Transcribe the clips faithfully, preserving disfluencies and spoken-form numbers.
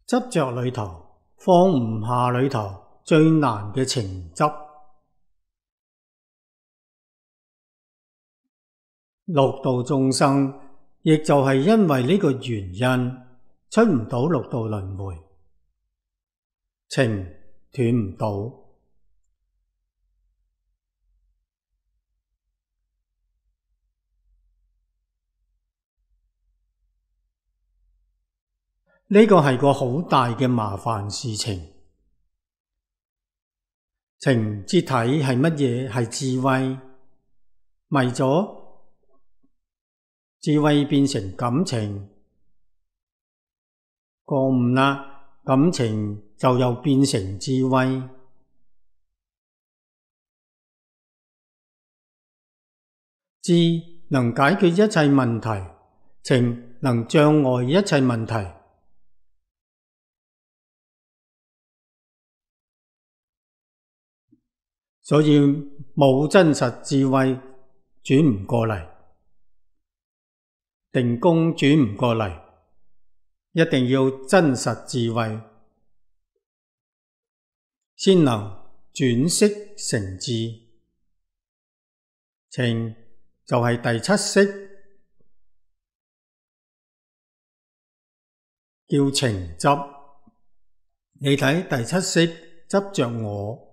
執着裏頭放唔下裏頭最難嘅情執。六道眾生亦就係因為呢個原因出唔到六道輪迴，情斷唔到。呢個係個好大嘅麻煩事情。情之體係乜嘢？係智慧，迷咗智慧變成感情，覺悟啦，感情就又變成智慧。智能解決一切問題，情能障礙一切問題。所以冇真實智慧轉唔過嚟，定功轉唔過嚟，一定要真實智慧先能轉識成智。情就係第七識，叫情執。你睇第七識執着我。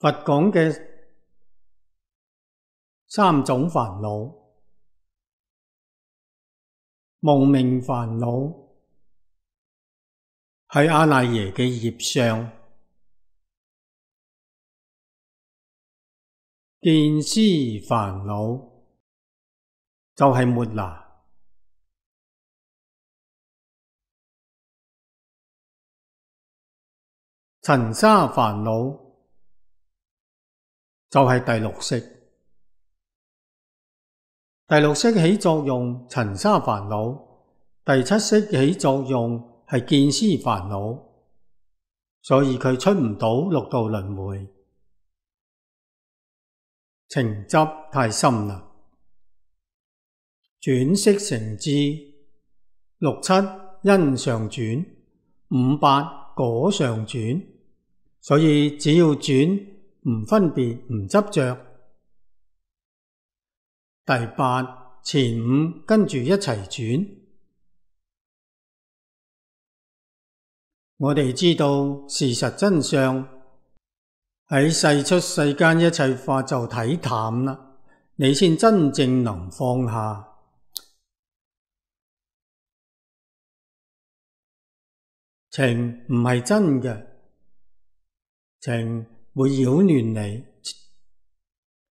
佛講嘅三種煩惱：無明煩惱係阿賴耶嘅業相，見思煩惱就係末那，塵沙煩惱就係第六識。第六識起作用，塵沙煩惱；第七識起作用係見思煩惱，所以佢出唔到六道輪迴。情執太深啦，轉識成智，六七因上轉，五八果上轉，所以只要轉，唔分別，唔執着。第八前五跟住一齊轉。我哋知道事實真相，喺世出世間一切法就睇淡啦，你先真正能放下。情唔係真嘅，情會擾亂你，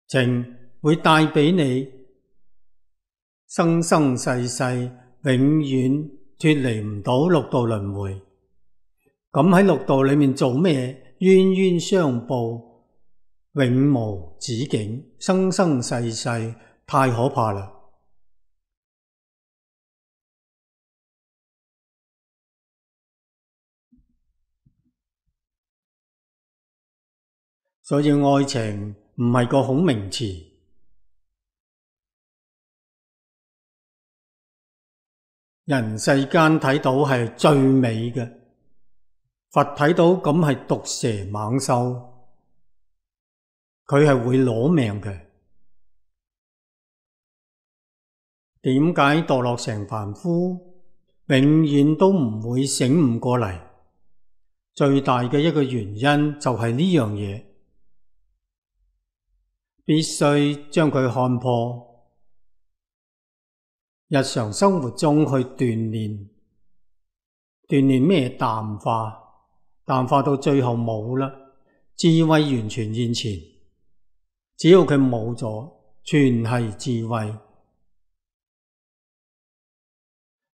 情會帶畀你生生世世永遠脫離唔到六道輪迴。咁喺六道裏面做咩？冤冤相報，永無止境，生生世世，太可怕啦！所以愛情唔係個好名詞，人世間睇到係最美嘅，佛睇到咁係毒蛇猛獸，佢係會攞命嘅。點解墮落成凡夫，永遠都唔會醒悟過嚟？最大嘅一個原因就係呢樣嘢。必須將佢看破，日常生活中去鍛煉，鍛煉咩？淡化，淡化到最後冇啦，智慧完全現前。只要佢冇咗，全係智慧。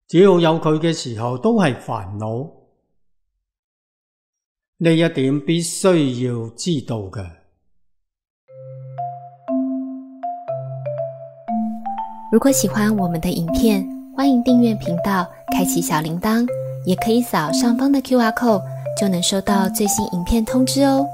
只要有佢嘅時候，都係煩惱。呢一點必須要知道嘅。如果喜歡我們的影片，歡迎訂閱頻道，開啟小鈴鐺，也可以掃上方的 Q R code，就能收到最新影片通知哦。